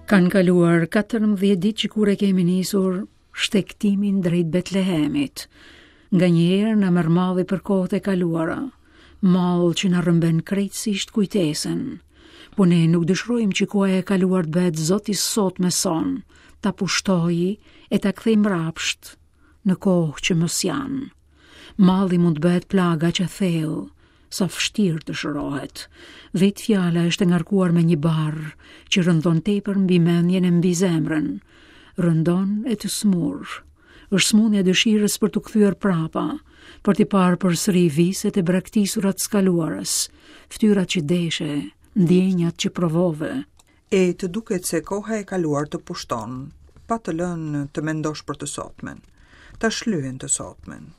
Kanë kaluar 14 ditë që kur e kemi nisur shtegtimin drejt Betlehemit. Nganjëherë na merr malli për kohët e kaluara, mall që na rrëmben krejtësisht kujtesën. Po ne nuk dëshirojmë që koha e kaluar të bëhet zot i së sotmes sonë, ta pushtojë e ta kthejë mbrapsht në kohë që më s'janë. Malli mund të bëhet plagë aq e thellë, sa vështirë të shërohet. Vetë fjala është e ngarkuar me një barrë që rëndon tepër mbi mendjen e mbi zemrën. Rëndon e të sëmur. Është sëmundja e dëshirës për t'u kthyer prapa, për t'i parë përsëri viset e braktisura të së kaluarës, fytyrat që deshe, ndjenjat që provove. E të duket se koha e kaluar të pushton, pa të lënë të mendosh për të sotmen. Ta shlyen të sotmen.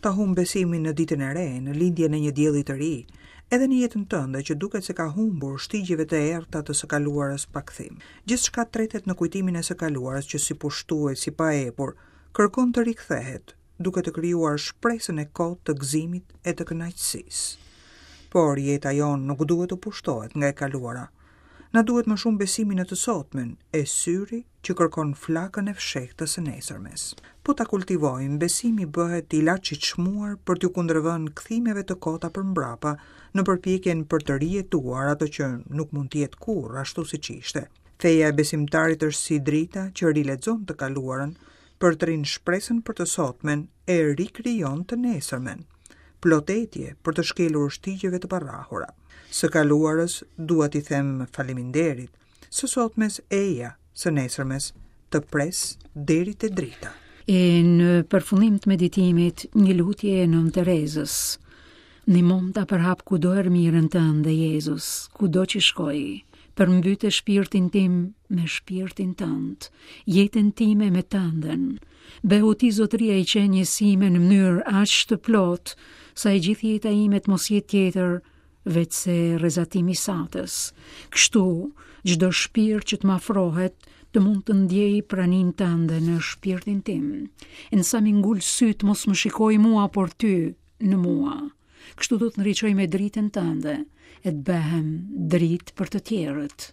Ta humb besimin në ditën e re, në lindjen e një dielli të ri, edhe në jetën tënde që duket se ka humbur shtigjeve të errëta të së kaluarës pa kthim. Gjithçka tretet në kujtimin e së kaluarës që si pushtues i paepur, kërkon të rikthehet, duke të krijuar shpresën e kotë të gëzimit e të kënaqësisë. Por jeta jonë nuk duhet të pushtohet nga e kaluara. Na duhet më shumë besimi në të sotmen e syri që kërkon flakën e fshehtë të së nesërmes. Po ta kultivojmë, besimi bëhet ilaç i çmuar për t'iu kundërvënë kthimeve të kota për mbrapa në përpjekjen për të rijetuar atë që nuk mund të jetë kurrë ashtu siç ishte. Feja e besimtarit është si drita që rilexon të kaluarën, përtërin shpresën për të sotmen e rikrijon të nesërmen. Plot etje për të shkelur shtigjeve të parrahura. Së kaluarës dua t'i them faleminderit, së sotmes eja, së nesërmes të pres deri te drita. E në përfundim të meditimit, një lutje e Nënë Terezës. Ndihmomë ta përhap kudo erëmirën tënde, Jezus, kudo që shkoj. Përmbyte shpirtin tim me shpirtin tënd, jetën time me tënden. Bëhu ti zotëria i qenies sime në mënyrë aq të plotë, sa e gjithë jeta ime të mos jetë tjetër, veçse rrezatim i satës. Kështu, çdo shpirt që të më afrohet, të mund të ndjejë praninë tënde në shpirtin tim. E në sa m'i ngul sytë mos më shikojë mua, por ty në mua. Kështu do të ndriçoj me dritën tënde e të bëhem dritë për të tjerët.